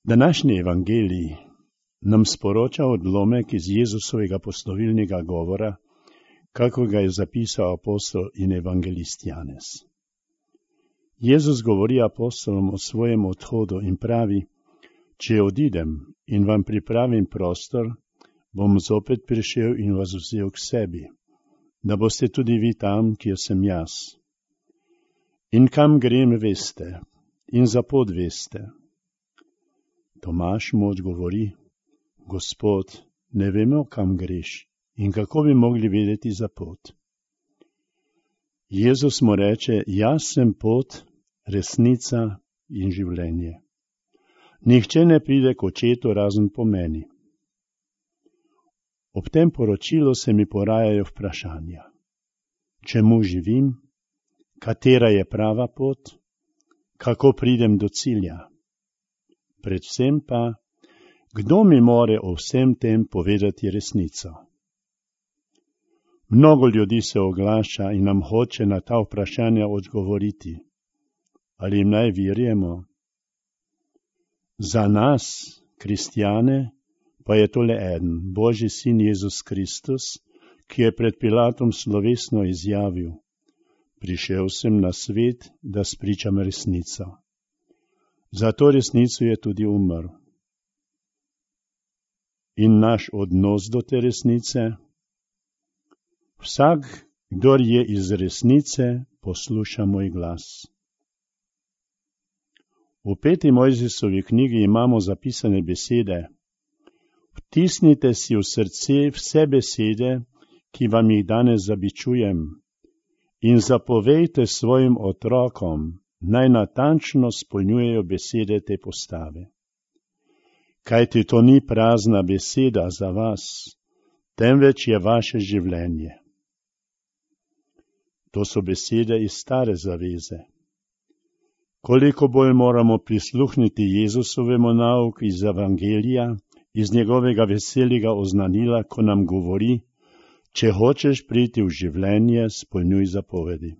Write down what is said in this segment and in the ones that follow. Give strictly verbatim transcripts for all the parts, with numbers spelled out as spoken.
Današnji evangelij nam sporoča odlomek iz Jezusovega poslovilnega govora, kako ga je zapisal apostol in evangelist Janez. Jezus govori apostolom o svojem odhodu in pravi: če odidem in vam pripravim prostor, bom zopet prišel in vas vzel k sebi, da boste tudi vi tam, kjer sem jaz. In kam grem, veste, in za pot veste. Tomaž mu odgovori: Gospod, ne vemo, kam greš in kako bi mogli vedeti za pot. Jezus mu reče: jaz sem pot, resnica in življenje. Nihče ne pride k očetu razen po meni. Ob tem poročilu se mi porajajo vprašanja. Čemu živim? Katera je prava pot? Kako pridem do cilja? Predvsem pa, kdo mi more o vsem tem povedati resnico? Mnogo ljudi se oglaša in nam hoče na ta vprašanja odgovoriti. Ali jim naj verjemo? Za nas, kristjane, pa je tole eden, Božji sin Jezus Kristus, ki je pred Pilatom slovesno izjavil: prišel sem na svet, da spričam resnico. Za to resnico je tudi umrl. In naš odnos do te resnice? Vsak, kdor je iz resnice, posluša moj glas. V peti Mojzesovi knjigi imamo zapisane besede: vtisnite si v srce vse besede, ki vam jih danes zabičujem, in zapovejte svojim otrokom, naj natančno spolnjujejo besede te postave. Kajti to ni prazna beseda za vas, temveč je vaše življenje. To so besede iz stare zaveze. Koliko bolj moramo prisluhniti Jezusovemu nauku iz evangelija, iz njegovega veselega oznanila, ko nam govori: če hočeš priti v življenje, spolnjuj zapovedi.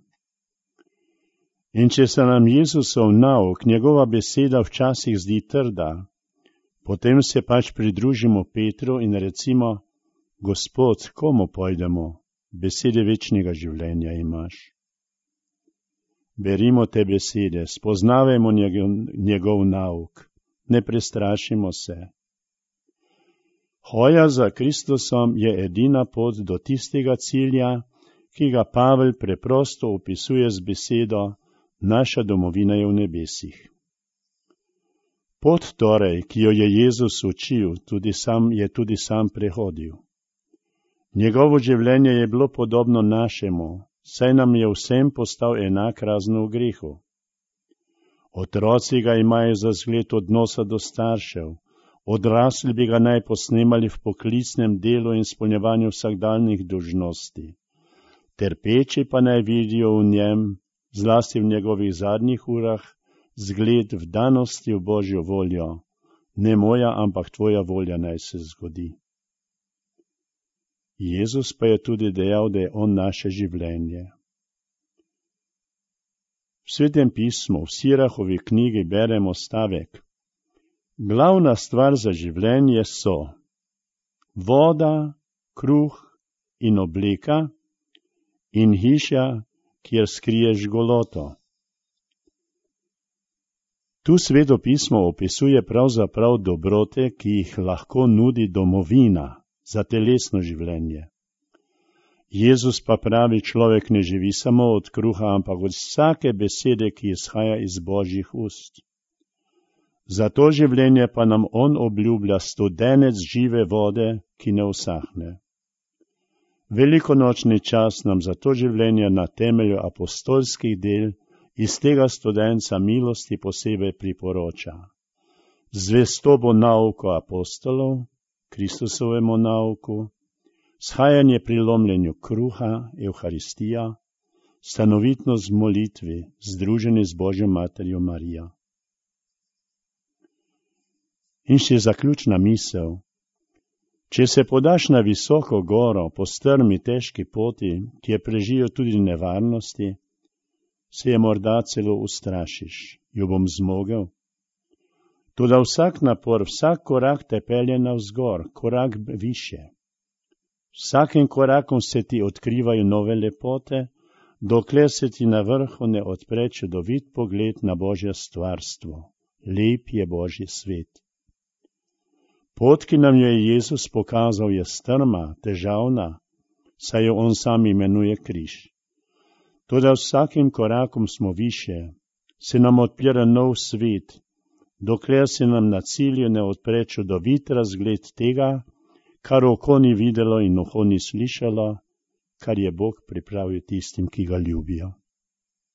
In če se nam Jezusov nauk, njegova beseda včasih zdi trda, potem se pač pridružimo Petru in recimo: Gospod, komu pojdemo? Besede večnega življenja imaš. Berimo te besede, spoznavajmo njegov, njegov nauk, ne prestrašimo se. Hoja za Kristusom je edina pot do tistega cilja, ki ga Pavel preprosto opisuje z besedo: naša domovina je v nebesih. Pot torej, ki jo je Jezus učil, tudi sam, je tudi sam prehodil. Njegovo življenje je bilo podobno našemu, saj nam je vsem postal enak razen v grehu. Otroci ga imajo za zgled odnosa do staršev, odrasli bi ga naj posnemali v poklicnem delu in izpolnjevanju vsakdanjih dolžnosti. Trpeči pa naj vidijo v njem, zlasti v njegovih zadnjih urah, zgled vdanosti v Božjo voljo. Ne moja, ampak tvoja volja naj se zgodi. Jezus pa je tudi dejal, da je on naše življenje. V Svetem pismu, v Sirahovi knjigi beremo stavek: glavna stvar za življenje so voda, kruh in obleka in hiša, kjer skriješ goloto. Tu Sveto pismo opisuje pravzaprav dobrote, ki jih lahko nudi domovina za telesno življenje. Jezus pa pravi, človek ne živi samo od kruha, ampak od vsake besede, ki izhaja iz Božjih ust. Za to življenje pa nam on obljublja studenec žive vode, ki ne usahne. Velikonočni čas nam za to življenje na temelju apostolskih del iz tega studenca milosti posebej priporoča. Zvestobo nauku apostolov, Kristusovemu nauku, shajanje pri lomljenju kruha, Evharistija, stanovitnost v molitvi, združeni z Božjo materjo Marijo. In še zaključna misel. Če se podaš na visoko goro po strmi težki poti, kjer prežijo tudi nevarnosti, se je morda celo ustrašiš. Jo bom zmogel? Toda vsak napor, vsak korak te pelje navzgor, korak više. Vsakim korakom se ti odkrivajo nove lepote, dokler se ti na vrhu ne odpre čudovit pogled na Božje stvarstvo. Lep je Božji svet. Pot, ki nam jo je Jezus pokazal, je strma, težavna, saj jo on sam imenuje križ. Toda vsakim korakom smo više, se nam odpira nov svet, dokler se nam na cilju ne odpre čudovit razgled tega, kar oko ni videlo in uho ni slišalo, kar je Bog pripravil tistim, ki ga ljubijo.